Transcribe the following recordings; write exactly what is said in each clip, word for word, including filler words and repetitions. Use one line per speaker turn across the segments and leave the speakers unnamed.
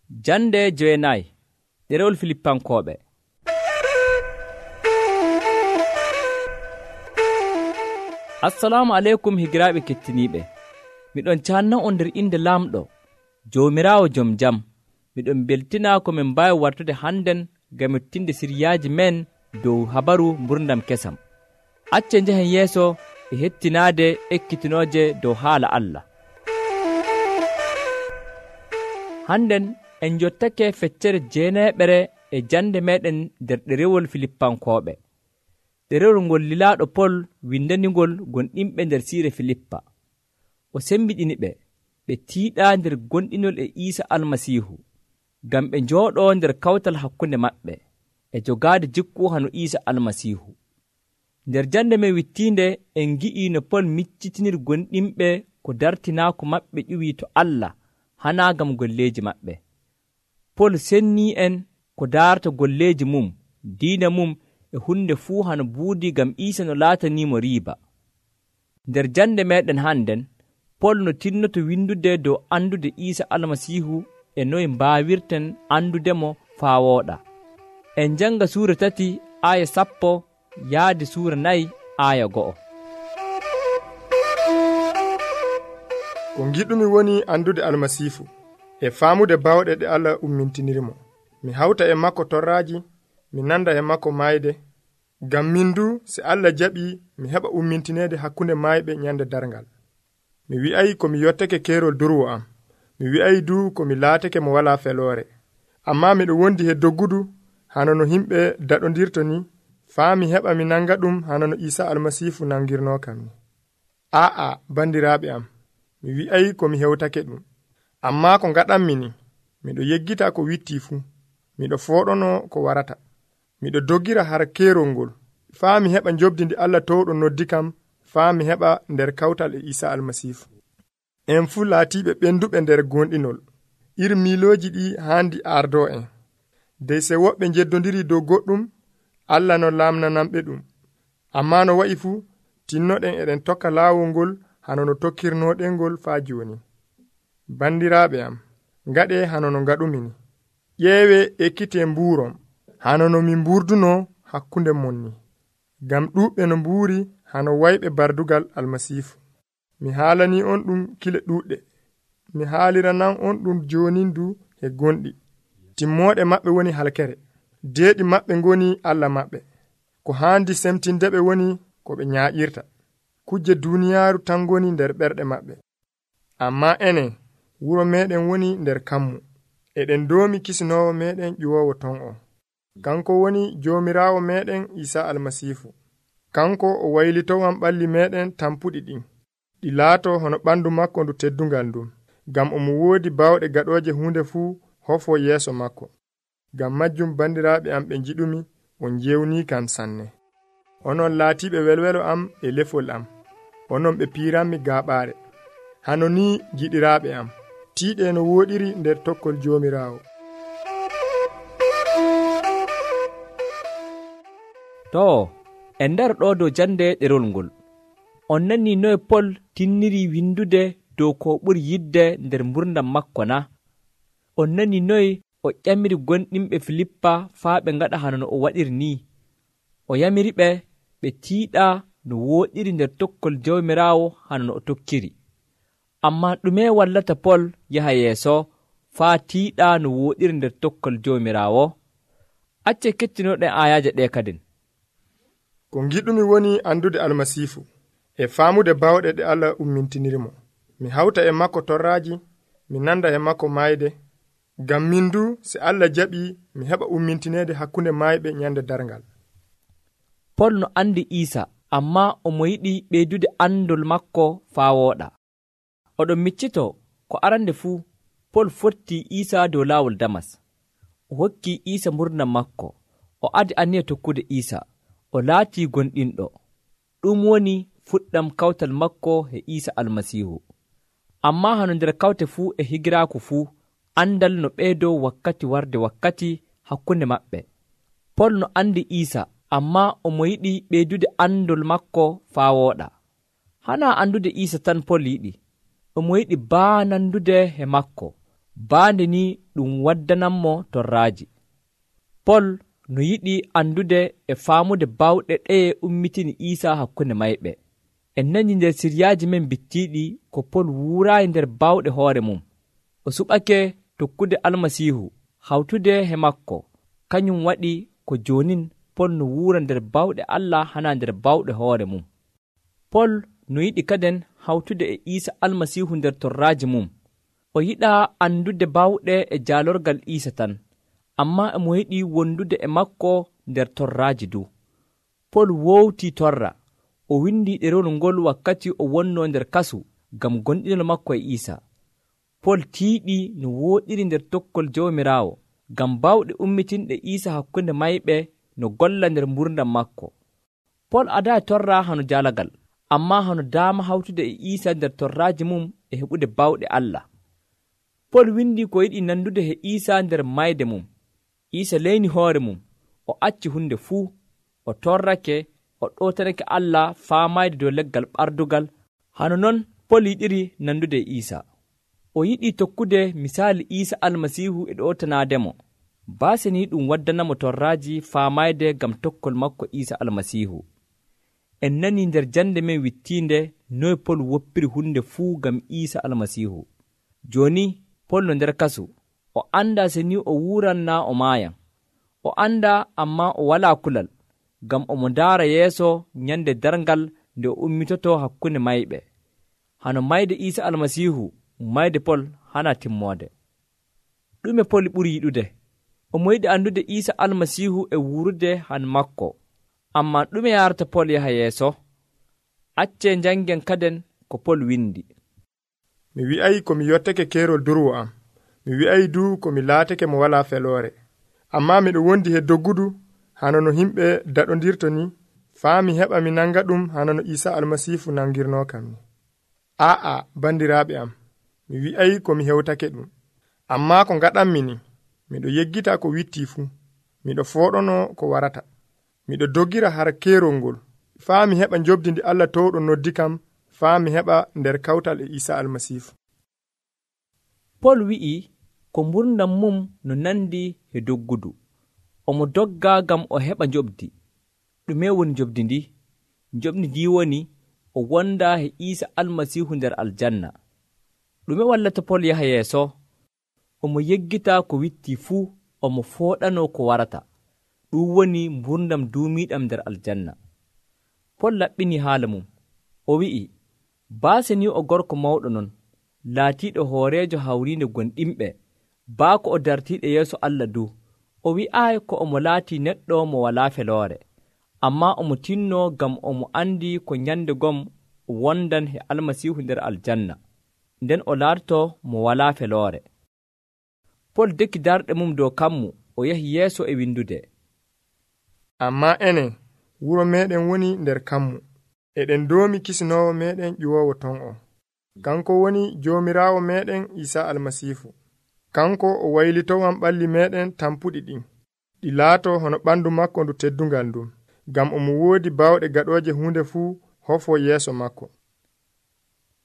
Jande jeenayi ɗerewol Filippankooɓe. Assalamu aleykum higiraaɓe kettiniiɓe. Miɗon caanna on nder inde laamɗo Joomiraawo jom jam. Miɗon beltina ko min mbaawi wartude hannden ngam mettinde siryaaji men dow habaru mburdam kesam. Acce njehen yeeso e hettinaade ekkitinooje dow haala Allah. Hannden en jottake feccere jeeneeɓere e jande meɗen nder ɗerewol Filippankooɓe. Ɗerewol ngol lilaaɗo Pol windaningol gonɗinɓe nder siire Filippa. O sembiɗini ɓe ɓe tiiɗaa nder gonɗinol e Iisa Almasiihu, ngam ɓe njooɗoo nder kawtal hakkunde maɓɓe e jogaade jikku hano Iisa Almasiihu. Nder jande men wittiinde en ngi'ii no Pol miccitinir gonɗinɓe ko dartinaako maɓɓe ƴuwii to Allah hanaa ngam golleeji maɓɓe. Pol sennii en ko daarta golleeji mum, diina mum e hunde fuu hano buudi ngam Iisa no laataniimo riiba. Nder jande meɗen hannden, Pol no tinnoto windude dow andude Iisa Almasiihu e noye mbaawirten andudemo faa wooɗa. En janga suura tati aaya sappo yaade suura nayi aaya go'o.
Ko giɗumi woni andude Almasiihu e faamude bawɗe ɗe Allah ummintinirimo. Mi hawta e makko torraaji, mi nanda e makko maayde, ngam min du se Allah jaɓii mi heɓa ummintineede hakkunde maayɓe nyande darngal. Mi wi'ay ko mi yottake keerol durwo am, mi wi'ay du ko mi laatake mo walaa feloore. Ammaa miɗo wondi he doggudu hano no himɓe daɗondirto ni, faa mi heɓa mi nanga ɗum hano no Iisa Almasiihu nangirnoo kam ni. Aa bandiraaɓe am, mi wi'ay ko mi hewtake ɗum. Ammaa ko ngaɗanmi ni, miɗo yeggita ko wittii fuu, miɗo fooɗono ko warata. Miɗo doggira har keerol ngol, faa mi heɓa njobdi ndi Allah towɗo noddi kam, faa mi heɓa nder kawtal e Iisa Almasiihu. En fuu laatiiɓe ɓenduɓe nder gonɗinol, iri miilooji ɗi haandi ardo en. Dey se woɓɓe njeddondiri dow goɗɗum, Allah no laamnanamɓe ɗum. Ammaa no wa'i fuu, tinnoɗen eɗen tokka laawol ngol hano no tokkirnoɗen ngol faa jooni. Bandiraaɓe am, ngaɗe hano no ngaɗumi. Ƴeewe ekkite mbuurom, hano no min mburduno hakkunde mon ni, ngam ɗuuɓɓe no mbuuri hano wayɓe bardugal Almasiihu. Mi haalani on ɗum kile ɗuuɗɗe, mi haaliranan on ɗum joonindu e gonɗi. Timmooɗe maɓɓe woni halkere, deeɗi maɓɓe ngoni Allah maɓɓe. Ko haandi semtindeɓe woni ko ɓe ñaaƴirta. Kujje duuniyaaru tan ngoni nder ɓerɗe maɓɓe. Ammaa enen, wuro meɗen woni nder kammu. Eɗen doomi kisinoowo meɗen ƴuwoowo ton o. Kanko woni Joomiraawo meɗen Iisa Almasiihu. Kanko o waylitowan ɓalli meɗen tampuɗi ɗin, ɗi laato hono ɓandu makko ndu teddungal ndun, ngam omo woodi bawɗe gaɗooje hunde fuu hofo yeeso makko. Ngam majjum bandiraaɓe am ɓe njiɗumi, on jewni kam sanne. Onon laatiiɓe welwelo am e lefol am, onon ɓe piiranmi gaaɓaare. Hano ni giɗiraaɓe am, tiiɗe no wooɗiri nder tokkol Joomiraawo.
To, en nder ɗo dow jande ɗerol ngol, on nani noye Pol tinniri windude dow ko ɓuri yidde nder mburdam makko na? On nani noye o ƴamiri gonɗinɓe Filippa faa ɓe ngaɗa hano no o waɗiri ni. O yamiri ɓe ɓe tiiɗa no wooɗiri nder tokkol Jawmiraawo hano no o tokkiri. Ammaa ɗume wallata Pol yaha yeeso faa tiiɗa no wooɗiri nder tokkol Jawmiraawo? Acce kettinoɗen aayaaje ɗe kadin.
Ko giɗumi woni andude Almasiihu e faamude bawɗe ɗe Allah ummintinirimo. Mi hawta e makko torraaji, mi nanda e makko maayde, ngam min du se Allah jaɓii mi heɓa ummintineede hakkunde maayɓe nyande darngal.
Pol no andi Iisa, ammaa omo yiɗi ɓeydude andol makko faa wooɗa. Oɗon miccito ko arande fuu, Pol fotti Iisa dow laawol Damas. O hokki Iisa mburdam makko, o adi aniya tokkude Iisa, o laatii gonɗinɗo. Ɗum woni fuɗɗam kawtal makko e Iisa Almasiihu. Ammaa hano nder kawte fuu e higiraaku fuu, andal no ɓeydoo wakkati warde wakkati hakkunde maɓɓe. Pol no andi Iisa, ammaa omo yiɗi ɓeydude andol makko faa wooɗa. Hana andude Iisa tan Pol yiɗi, omo yiɗi baanandude he makko, baande ni ɗum waddananmo torraaji. Pol no yiɗi andude e faamude bawɗe ɗeye ummitini Iisaa hakkunde mayɓe. En nani nder siryaaji men bittiiɗi ko Pol wuuraayi nder bawɗe hoore mum. O suɓake tokkude Almasiihu hawtude he makko. Kañum waɗi ko joonin Pol no wuura nder bawɗe Allah hana nder bawɗe hoore mum. Pol no yiɗi kaden hawtude e Iisa Almasiihu nder torraaji mum. O yiɗaa andude bawɗe e jaalorgal Iisa tan, ammaa emo yiɗi wondude e makko nder torraaji du. Pol wowtii torra. O windi ɗerewol ngol wakkati o wonnoo nder kasu ngam gonɗinol makko e Iisa. Pol tiiɗi no wooɗiri nder tokkol Jawmiraawo ngam bawɗe ummitinɗe Iisa hakkunde mayɓe no golla nder mburdam makko. Pol adaa torra hano jaalagal, ammaa hano daama hawtude e Iisa nder torraaji mum e heɓude bawɗe Allah. Pol windi ko yiɗi nandude he Iisa nder mayde mum. Iisa leyni hoore mum, o acci hunde fuu, o torrake, o ɗotanake Allah faamayde dow leggal ɓardugal. Hano non Pol yiɗiri nandude e Iisa. O yiɗi tokkude misaali Iisa Almasiihu e ɗotanaademo. Baase ni ɗum waddanamo torraaji faamayde ngam tokkol makko Iisa Almasiihu. En nani nder jande men wittiinde noy Pol woppiri hunde fuu ngam Iisa Almasiihu. Jooni Pol no nder kasu. O anda se ni o wuran naa o maayan. O anda amma o walaa kulal, ngam omo ndaara yeeso nyande darngal nde o ummitoto hakkunde mayɓe. Hano mayde Iisa Almasiihu mayde Pol hana timmoode. Ɗume Pol ɓuri yiɗude? Omo yiɗi andude Iisa Almasiihu e wuurude han makko. Amma ɗume yarata Pol yaha yeeso? Acce jangen kaden ko Pol windi.
Mi wi'ay ko mi yottake keerol durwo am. Mi wi'ay du ko mi laatake mo walaa feloore. Amma miɗo wondi he doggudu hano no himɓe daɗondirto ni, faa mi heɓa mi nanga ɗum hano no Iisa Almasiihu nangirnoo kam ni. Aa'a, bandiraaɓe am, mi wi'ay ko mi hewtake ɗum. Amma ko ngaɗanmi ni, miɗo yeggita ko wittii fuu. Miɗo fooɗono ko warata. Miɗo doggira har keerol ngol, faa mi heɓa njobdi ndi Allah towɗo noddi kam, faa mi heɓa nder kawtal e Iisa Almasiihu.
Pol wi'i ko mburdam mum no nandi he doggudu. Omo dogga ngam o heɓa njobdi. Ɗume woni njobdi ndi? Njobdi ndi woni o wonda he Iisa Almasiihu nder aljanna. Ɗume wallata Pol yaha yeeso? Omo yeggita ko witti fuu, omo fooɗano ko warata. Ɗum woni mburdam duumiiɗam nder aljanna. Pol laɓɓini haala mum. O wi'i, baase ni o gorko mawɗo non, laatiiɗo hooreejo hawriinde gonɗinɓe, baako o dartiiɗo yeeso Allah du. O wi'aayi ko omo laatii neɗɗo mo walaa feloore, ammaa omo tinnoo ngam omo anndi ko nyande gom wondan he Almasiihu nder aljanna, nden o laatoto mo walaa feloore. Pol dekki darɗe mum dow kammu, o yahi yeeso e windude.
Ammaa enen, wuro meeɗen woni nder kammu, eɗen doomi kisinoowo meeɗen ƴuwoowo ton o. Kanko woni Joomiraawo meeɗen Iisa Almasiihu. Kanko o waylitowan ɓalli meeɗen tampuɗi ɗin, ɗi laato hono ɓandu makko ndu teddungal ndun, ngam omo woodi bawɗe gaɗooje hunde fuu hofo yeeso makko.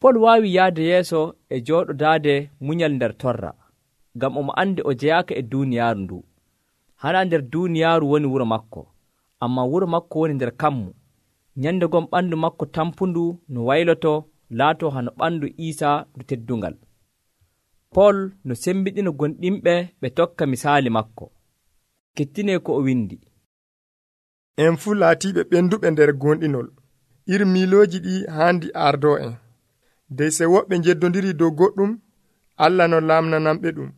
Pol waawi yahde yeeso e jooɗodaade munyal nder torra, ngam omo andi o jeyaaka e duuniyaaru ndu. Hana nder duuniyaaru woni wuro makko, amma wuro makko woni nder kammu. Nyande gom ɓandu makko tampundu no wayloto laato hano ɓandu Iisa ndu teddungal. Pol no sembiɗino gonɗinɓe ɓe tokka misaali makko. Kettine ko o windi.
En fuu laatiiɓe ɓenduɓe nder gonɗinol. Ir miilooji ɗi haandi ardo en. Dey se woɓɓe njeddondiri dow goɗɗum, Allah no lamnanamɓe ɗum.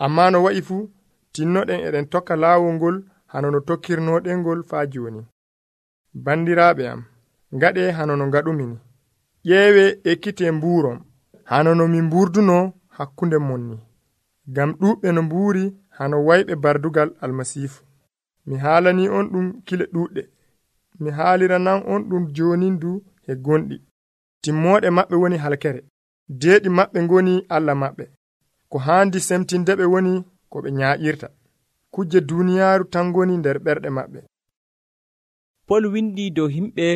Amma no wa'i fuu, tinnoɗen eɗen tokka laawol ngol hano no tokkirnoɗen ngol faa jooni. Bandiraaɓe am, ngaɗe hano no ngaɗumini. Ƴeewe ekkite mbuurom, hano no min mburduno hakkunde mon ni. Ngam ɗuuɓɓe no mbuuri hano wayɓe bardugal Almasiihu. Mi haalani on ɗum kile ɗuuɗɗe. Mi haaliranan on ɗum joonindu he gonɗi. Timmooɗe maɓɓe woni halkere. Deeɗi maɓɓe ngoni Allah maɓɓe. Ko haandi semtindeɓe woni ko ɓe nyaaƴirta. Kujje duuniyaaru tan ngoni nder ɓerɗe maɓɓe.
Pol windi dow himɓe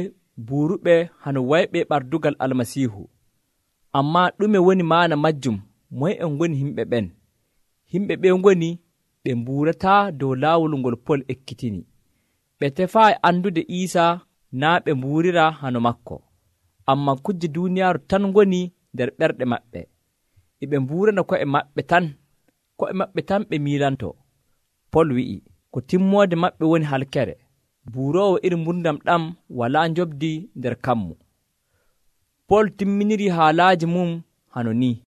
buuruɓe hano wayɓe ɓardugal Almasiihu. Amma ɗume woni maana majjum? Moy en ngoni himɓe ɓen? Himɓe ɓe ngoni ɓe mbuurataa dow laawol ngol Pol ekkitini. Ɓe tefaayi andude Iisaa naa ɓe mbuurira hano makko, ammaa kujje duuniyaaru tan ngoni nder ɓerɗe maɓɓe. E ɓe mbuurana ko'e maɓɓe tan, ko'e maɓɓe tan ɓe miilanto. Pol wi'i, ko timmoode maɓɓe woni halkere. Buuroowo iri mburdam ɗam walaa njobdi nder kammu. Pol timminiri haalaaji mum hano ni.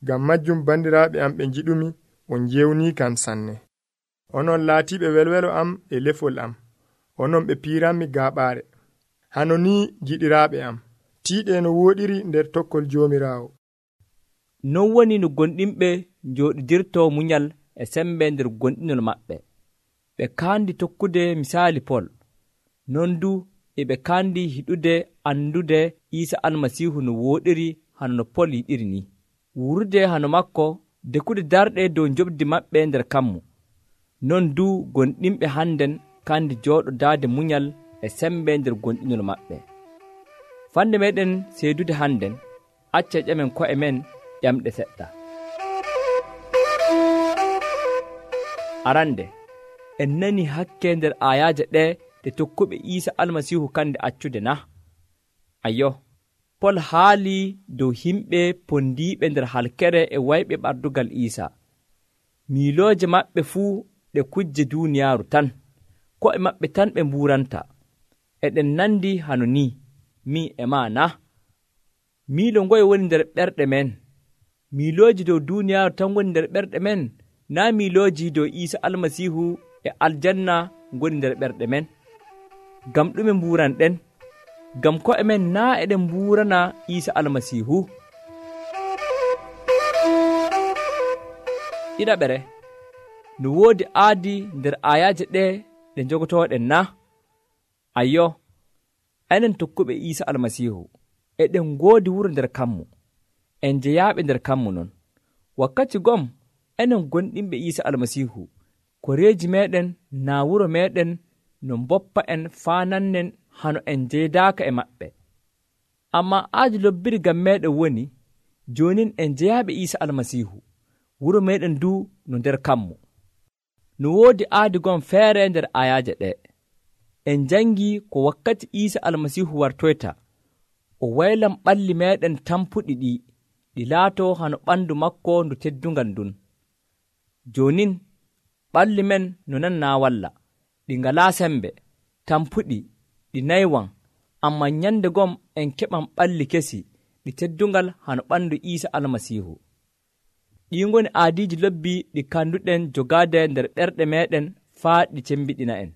Ngam majjum bandiraaɓe am ɓe njiɗumi, on jewnii kam sanne. Onon laatiiɓe welwelo am e lefol am, onon ɓe piiranmi gaaɓaare. Hano ni giɗiraaɓe am, tiiɗe no wooɗiri nder tokkol Joomiraawo.
Non woni no gonɗinɓe njooɗidirto munyal e sembe nder gonɗinol maɓɓe. Ɓe kaandi tokkude misaali Pol, non du e ɓe kaandi hiɗude andude Iisa Almasiihu no wooɗiri hano no Pol yiɗiri ni. Wurude hano makko, dekude darɗe dow njobdi maɓɓe nder kammu. Non du gonɗinɓe hannden kaandi jooɗodaade munyal e sembe nder gonɗinol maɓɓe. Fande meɗen seedude hannden, acce ƴamen ko'e men ƴamɗe seɗɗa. Arande, en nani hakke nder ayaaje ɗe ɗe tokkuɓe Iisa Almasiihu kande accude na? Ayyo, Pol haali dow himɓe pondiiɓe nder halkere e wayɓe ɓardugal Iisa. Miilooje maɓɓe fuu ɗe kujje duuniyaaru tan, ko'e maɓɓe tan ɓe mbuuranta. Eɗen nandi hano ni, min e maa na? Miilo ngoye woni nder ɓerɗe men? Miilooji dow duuniyaaru tan woni nder ɓerɗe men, naa miilooji dow Iisa Almasiihu e aljanna ngoni nder ɓerɗe men? Ngam ɗume mbuuranɗen? Ngam ko'e men naa eɗen mbuurana Iisa Almasiihu? Ɗiɗaɓere, no woodi aadi nder ayaaje ɗe ɗe njogotooɗen na? Ayyo, enen tokkuɓe Iisa Almasiihu, eɗen ngoodi wuro nder kammu, en jeyaaɓe nder kammu non. Wakkati gom, enen gonɗinɓe Iisa Almasiihu, koreeji meɗen naa wuro meɗen no mboppa en faanannen hano en jeydaaka e maɓɓe. Ammaa aadi lobbiri ngam meɗen woni, joonin en jeyaaɓe Iisa Almasiihu, wuro meɗen du no nder kammu. No woodi aadi gom feere nder ayaaje ɗe. En jangii ko wakkati Iisa Almasiihu wartoyta, o waylam ɓalli meɗen tampuɗi ɗi, ɗi laatoo hano ɓandu makko ndu teddungal ndun. Joonin ɓalli men no nannaa walla, ɗi ngalaa sembe, tampuɗi, ɗi naywan, amma nyande gom en keɓan ɓalli kesi, ɗi teddungal hano ɓandu Iisa Almasiihu. Ɗi ngoni aadiiji lobbi ɗi kanduɗen jogaade nder ɓerɗe meɗen faa ɗi cembiɗina en.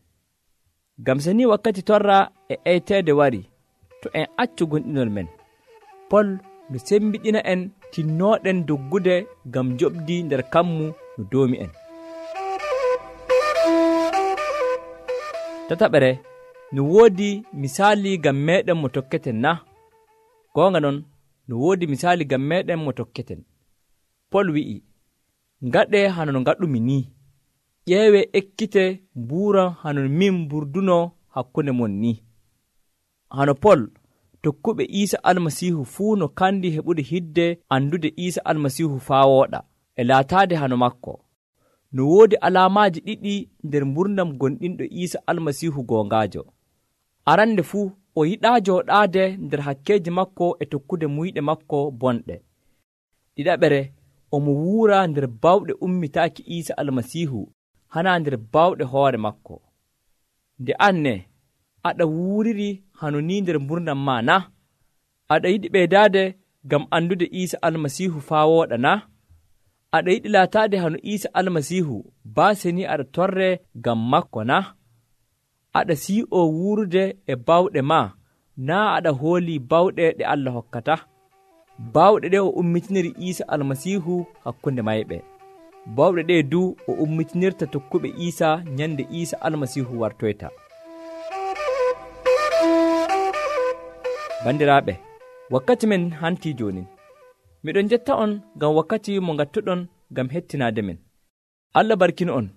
Ngam so ni wakkati torra e eyteede wari, to en accu gonɗinol men, Pol no sembiɗina en tinnooɗen doggude ngam joɓdi nder kammu no doomi en. Tataɓere, no woodi misaali ngam meɗen mo tokketen na? Goonga non, no woodi misaali ngam meɗen mo tokketen. Pol wi'i, ngaɗe hano no ngaɗumi ni, ƴeewe ekkite mbuuran hano min mburduno hakkunde mon ni. Hano Pol, tokkuɓe Iisa Almasiihu fuu no kandi heɓude hidde andude Iisa Almasiihu faa wooɗa e laataade hano makko. No woodi alaamaaji ɗiɗi nder mburdam gonɗinɗo Iisa Almasiihu goongaajo. Arande fuu o yiɗaa jooɗaade nder hakkeeji makko e tokkude muyɗe makko bonɗe. Ɗiɗaɓere, omo wuura nder bawɗe ummitaaki Iisa Almasiihu hana nder bawɗe hoore makko. Nde an ne, aɗa wuuriri hano ni nder mburdam maa na? Aɗa yiɗi ɓeydaade ngam andude Iisa Almasiihu faa wooɗa na? Aɗa yiɗi laataade hano Iisa Almasiihu baase ni aɗa torre ngam makko na? Aɗa sii'oo wuurude e bawɗe maa, naa aɗa hoolii bawɗe ɗe Allah hokkata? Bawɗe ɗe o ummitiniri Iisa Almasiihu hakkunde mayɓe. Bawɗe ɗe du o ummitinirta tokkuɓe Iisa nyande Iisa Almasiihu wartoyta. Bandiraaɓe, wakkati men hantii joonin. Miɗon jetta on ngam wakkati mo ngattuɗon ngam hettinaade men. Allah barkino on.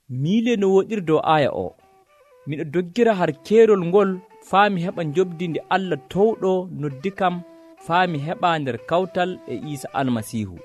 Miile no woɗiri dow aaya o. Miɗo doggira har keerol ngol faa mi heɓa njobdi nde Allah towɗo noddi kam faa mi heɓa nder kawtal e Iisa Almasiihu.